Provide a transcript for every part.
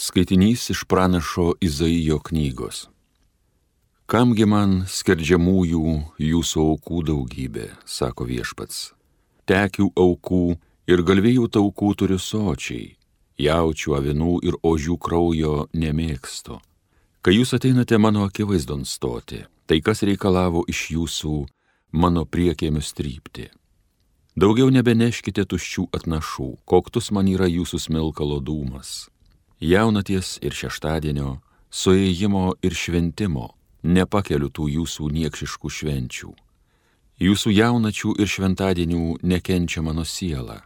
Skaitinys iš pranašo Izaijo knygos. Kamgi man skerdžiamųjų jūsų aukų daugybė, sako viešpats. Tekių aukų ir galvijų taukų turiu sočiai, jaučių, avinų ir ožių kraujo nemėgstu. Kai jūs ateinate mano akivaizdon stoti, tai kas reikalavo iš jūsų mano priekėmius trypti? Daugiau nebeneškite tuščių atnašų, koktus man yra jūsų smilkalo dūmas. Jaunaties ir šeštadienio, suėjimo ir šventimo nepakeliu tų jūsų niekšiškų švenčių. Jūsų jaunačių ir šventadienių nekenčia mano siela.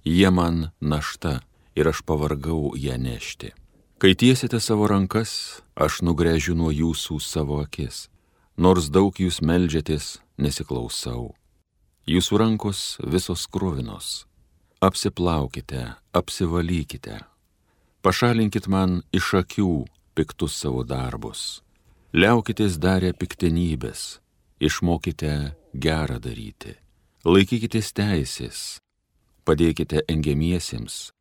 Jie man našta ir aš pavargau ją nešti. Kai tiesite savo rankas, aš nugręžiu nuo jūsų savo akis. Nors daug jūs meldžiatės, nesiklausau. Jūsų rankos visos kruvinos. Apsiplaukite, apsivalykite. Pašalinkit man iš akių piktus savo darbus. Liaukitės darę piktenybės, išmokite gerą daryti. Laikykitės teisės, padėkite engiamiesiems,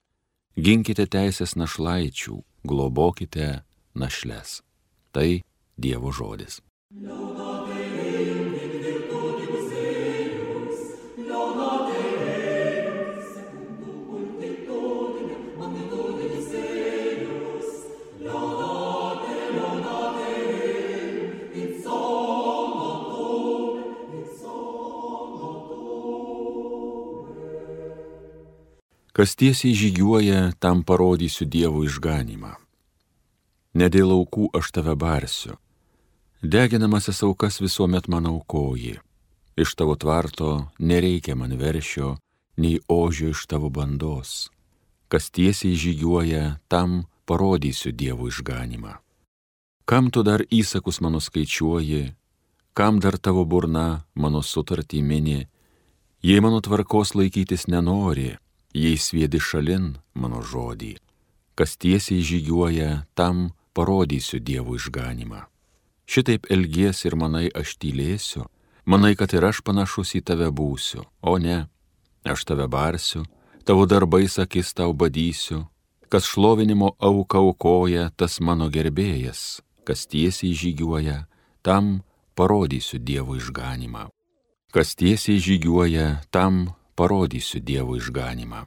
ginkite teisės našlaičių, globokite našles. Tai Dievo žodis. Kas tiesiai žygiuoja, tam parodysiu Dievo išganymą. Ne dėl aukų aš tave barsiu. Deginamasis aukas visuomet man aukoji. Iš tavo tvarto nereikia man veršio, nei ožio iš tavo bandos. Kas tiesiai žygiuoja, tam parodysiu Dievo išganymą. Kam tu dar įsakus mano skaičiuoji, kam dar tavo burna mano sutartį mini, jei mano tvarkos laikytis nenori, jei sviedi šalin mano žodį. Kas tiesiai žygiuoja, tam parodysiu Dievo išganymą. Šitaip elgies ir manai aš tylėsiu, manai, kad ir aš panašus į tave būsiu, o ne, aš tave barsiu, tavo darbais akis tau badysiu. Kas šlovinimo auką aukoja, tas mano gerbėjas. Kas tiesiai žygiuoja, tam parodysiu Dievo išganymą. Kas tiesiai žygiuoja, tam parodysiu Dievo išganymą.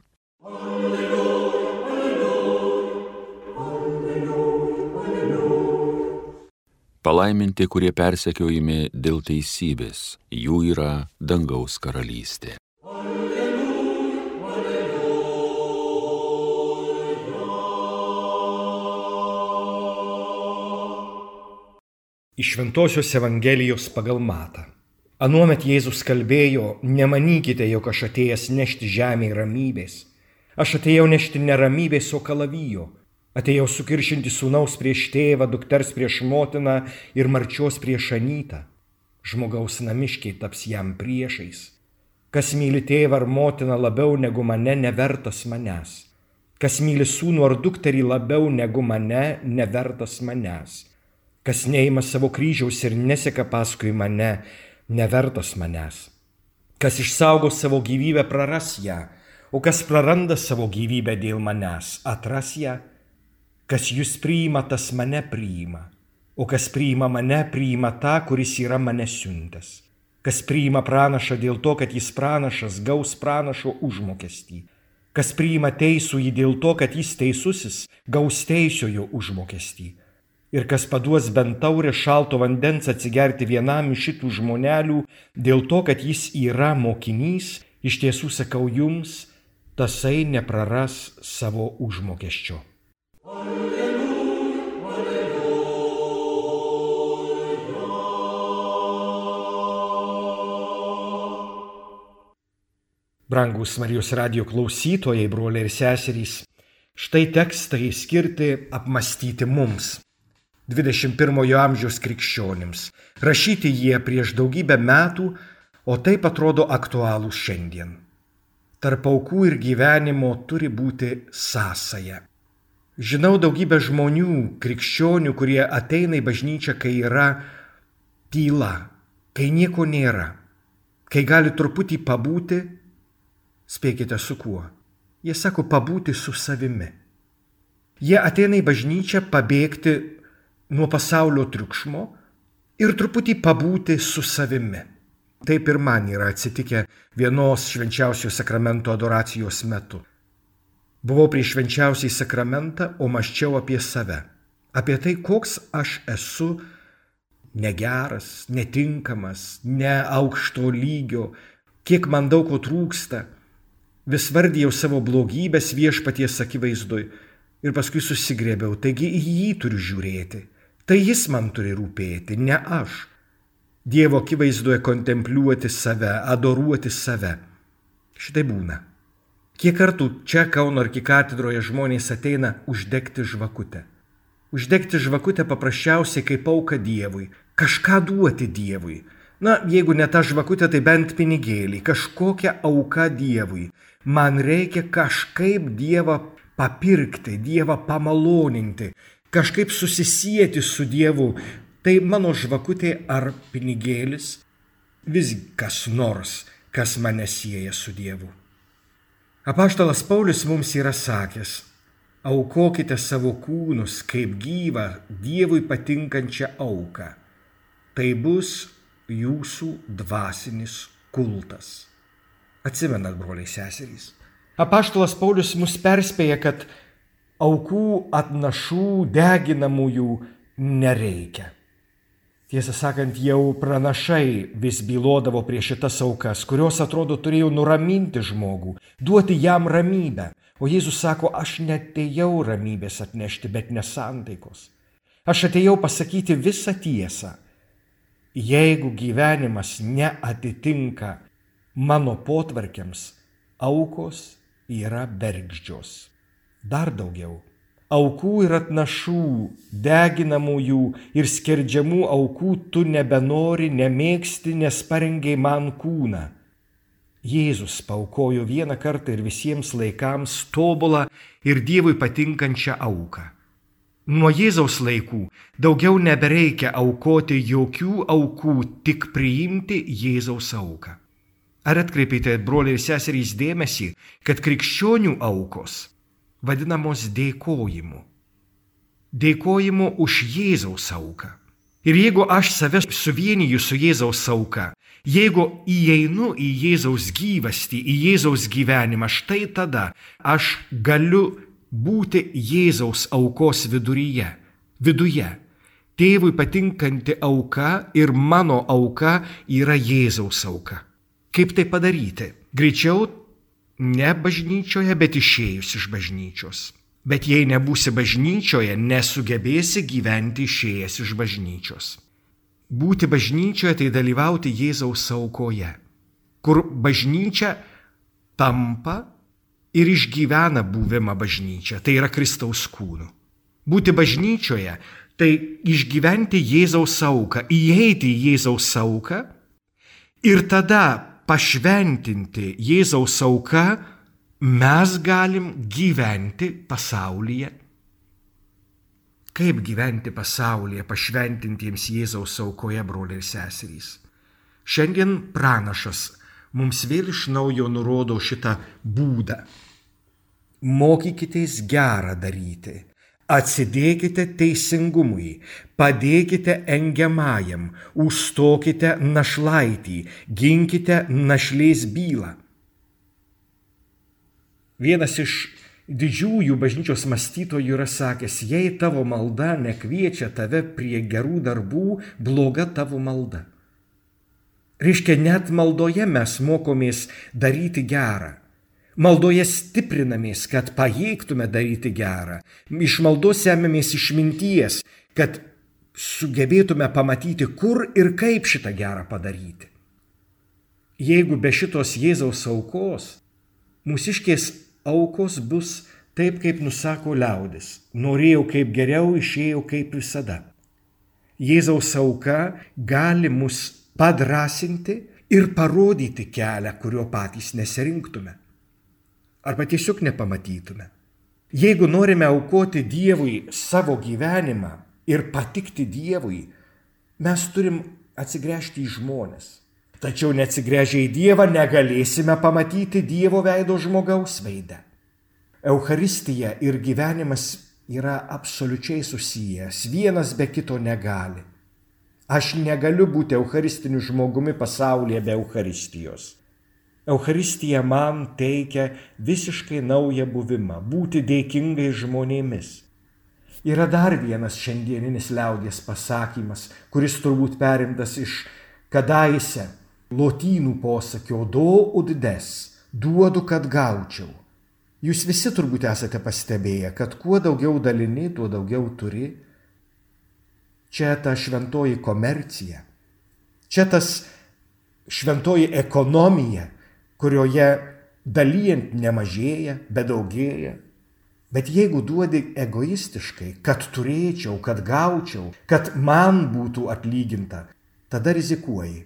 Palaiminti, kurie persekiojami dėl teisybės, jų yra dangaus karalystė. Iš Šventosios Evangelijos pagal Matą. Anuomet Jėzus kalbėjo, nemanykite, jog aš atėjęs nešti žemėje ramybės. Aš atėjau nešti ne ramybės, o kalavijo. Atėjau sukiršinti sūnaus prieš tėvą, dukters prieš motiną ir marčios prieš anytą. Žmogaus namiškiai taps jam priešais. Kas myli tėvą ar motiną labiau negu mane, nevertas manęs. Kas myli sūnų ar dukterį labiau negu mane, nevertas manęs. Kas neima savo kryžiaus ir neseka paskui mane, nevertas manęs. Kas išsaugo savo gyvybę, praras ją, o kas praranda savo gyvybę dėl manęs, atras ją. Kas jūs priima, tas mane priima, o kas priima mane, priima tą, kuris yra mane siuntęs. Kas priima pranašą dėl to, kad jis pranašas, gaus pranašo užmokestį. Kas priima teisųjį dėl to, kad jis teisusis, gaus teisiojo užmokestį. Ir kas paduos bent taurę šalto vandens atsigerti vienam iš šitų žmonelių, dėl to, kad jis yra mokinys, iš tiesų sakau jums, tasai nepraras savo užmokesčio. Alleluja, alleluja. Brangūs Marijos radijo klausytojai, broliai ir seserys, štai tekstai skirti apmąstyti mums. 21 amžiaus krikščionims. Rašyti jie prieš daugybę metų, o taip atrodo aktualūs šiandien. Tarp aukų ir gyvenimo turi būti sąsaja. Žinau daugybę žmonių, krikščionių, kurie ateina į bažnyčią, kai yra tyla, kai nieko nėra, kai gali truputį pabūti, spėkite su kuo. Jie sako pabūti su savimi. Jie ateina į bažnyčią pabėgti nuo pasaulio triukšmo ir truputį pabūti su savimi. Taip ir man yra atsitikę vienos švenčiausiojo sakramento adoracijos metu. Buvau prieš švenčiausiąjį sakramentą, o mąsčiau apie save. Apie tai, koks aš esu negeras, netinkamas, ne aukšto lygio, kiek man daug ko trūksta. Vis vardijau savo blogybės Viešpaties akivaizdoj ir paskui susigrėbiau. Taigi į jį turiu žiūrėti. Tai jis man turi rūpėti, ne aš. Dievo akivaizdoje kontempliuoti save, adoruoti save. Šitai būna. Kiek kartų čia Kauno arkikatedroje žmonės ateina uždegti žvakutę. Uždegti žvakutę paprasčiausiai kaip auka Dievui, kažką duoti Dievui. Na, jeigu ne ta žvakutė, tai bent pinigėlį, kažkokią auką Dievui. Man reikia kažkaip Dievą papirkti, Dievą pamaloninti, kažkaip susisieti su Dievu. Tai mano žvakutė ar pinigėlis, vis kas nors, kas mane sieja su Dievu. Apaštalas Paulius mums yra sakęs: aukokite savo kūnus kaip gyvą, Dievui patinkančią auką. Tai bus jūsų dvasinis kultas. Atsimenat, broliai seserys. Apaštalas Paulius mus perspėja, kad aukų atnašų deginamųjų nereikia. Tiesą sakant, jau pranašai vis bylodavo prieš šitas aukas, kurios atrodo turėjo nuraminti žmogų, duoti jam ramybę. O Jėzus sako, aš neatėjau ramybės atnešti, bet nesantaikos. Aš atėjau pasakyti visą tiesą. Jeigu gyvenimas neatitinka mano potvarkiams, aukos yra bergždžios. Dar daugiau. Aukų ir atnašų, deginamųjų ir skerdžiamų aukų tu nebenori, nemėgsti, nes parengei man kūną. Jėzus paaukojo vieną kartą ir visiems laikams tobulą ir Dievui patinkančią auką. Nuo Jėzaus laikų daugiau nebereikia aukoti jokių aukų, tik priimti Jėzaus auką. Ar atkreipėte, broliai ir seserys, dėmesį, kad krikščionių aukos vadinamos dėkojimu. Dėkojimu už Jėzaus auką. Ir jeigu aš save suvieniju su Jėzaus auka, jeigu įeinu į Jėzaus gyvastį, į Jėzaus gyvenimą, štai tada aš galiu būti Jėzaus aukos viduje. Tėvui patinkanti auka ir mano auka yra Jėzaus auka. Kaip tai padaryti? Greičiau ne bažnyčioje, bet išėjus iš bažnyčios. Bet jei nebūsi bažnyčioje, nesugebėsi gyventi išėjęs iš bažnyčios. Būti bažnyčioje tai dalyvauti Jėzaus aukoje, kur bažnyčia tampa ir išgyvena buvimą bažnyčia, tai yra Kristaus kūnu. Būti bažnyčioje tai išgyventi Jėzaus auką, įeiti į Jėzaus auką ir tada pašventinti Jėzaus auką, mes galim gyventi pasaulyje. Kaip gyventi pasaulyje pašventintiems Jėzaus aukoje, broliai ir seserys? Šiandien pranašas mums vėl iš naujo nurodo šitą būdą. Mokykitės gerą daryti, atsidėkite teisingumui, padėkite engiamajam, užstokite našlaitį, ginkite našlės bylą. Vienas iš didžiųjų bažnyčios mąstytojų yra sakęs, jei tavo malda nekviečia tave prie gerų darbų, bloga tavo malda. Reiškia, net maldoje mes mokomės daryti gerą. Maldoje stiprinamės, kad pajėgtume daryti gerą. Iš maldos semiamės išminties, kad sugebėtume pamatyti, kur ir kaip šitą gerą padaryti. Jeigu be šitos Jėzaus aukos, mūsiškės aukos bus taip, kaip nusako liaudis. Norėjau kaip geriau, išėjau kaip visada. Jėzaus auka gali mus padrasinti ir parodyti kelią, kurio patys nesirinktume. Arba tiesiog nepamatytume. Jeigu norime aukoti Dievui savo gyvenimą ir patikti Dievui, mes turim atsigręžti į žmones. Tačiau neatsigręžę į Dievą negalėsime pamatyti Dievo veido žmogaus veidą. Eucharistija ir gyvenimas yra absoliučiai susijęs, vienas be kito negali. Aš negaliu būti eucharistiniu žmogumi pasaulyje be Eucharistijos. Eucharistija man teikia visiškai naują buvimą, būti dėkingai žmonėmis. Yra dar vienas šiandieninis liaudies pasakymas, kuris turbūt perimtas iš kadaise lotynų posakio do ut des, duodu, kad gaučiau. Jūs visi turbūt esate pastebėję, kad kuo daugiau dalini, tuo daugiau turi. Čia ta šventoji komercija, čia tas šventoji ekonomija, kurioje dalijant nemažėja, bet daugėja. Bet jeigu duodi egoistiškai, kad turėčiau, kad gaučiau, kad man būtų atlyginta, tada rizikuoji.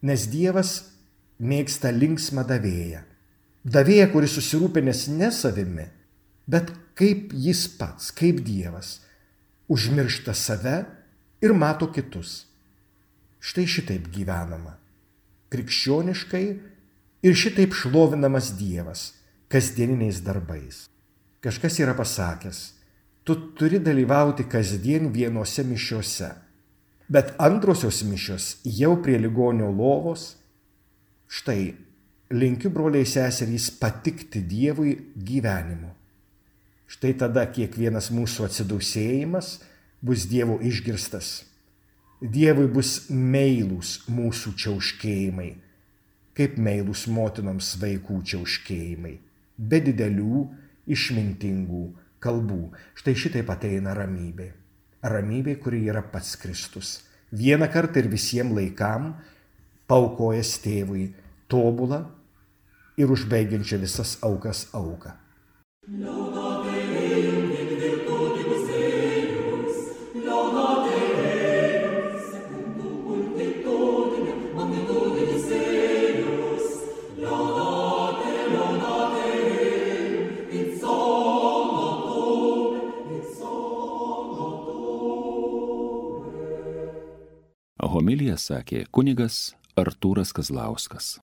Nes Dievas mėgsta linksmą davėją. Davėją, kuris susirūpinęs ne savimi, bet kaip jis pats, kaip Dievas, užmiršta save ir mato kitus. Štai šitaip gyvenama. Krikščioniškai ir šitaip šlovinamas Dievas kasdieniniais darbais. Kažkas yra pasakęs, tu turi dalyvauti kasdien vienose mišiose, bet antrosios mišios jau prie ligonio lovos. Štai, linkiu broliai seserys patikti Dievui gyvenimu. Štai tada kiekvienas mūsų atsidūsėjimas bus Dievo išgirstas. Dievui bus meilūs mūsų čiauškėjimai, kaip meilūs motinoms vaikų čiauškėjimai, be didelių išmintingų kalbų. Štai šitaip ateina ramybė. Ramybė, kuri yra pats Kristus. Vieną kartą ir visiems laikam paaukojęs tėvui tobulą ir užbaigiančią visas aukas auką. Homiliją sakė kunigas Artūras Kazlauskas.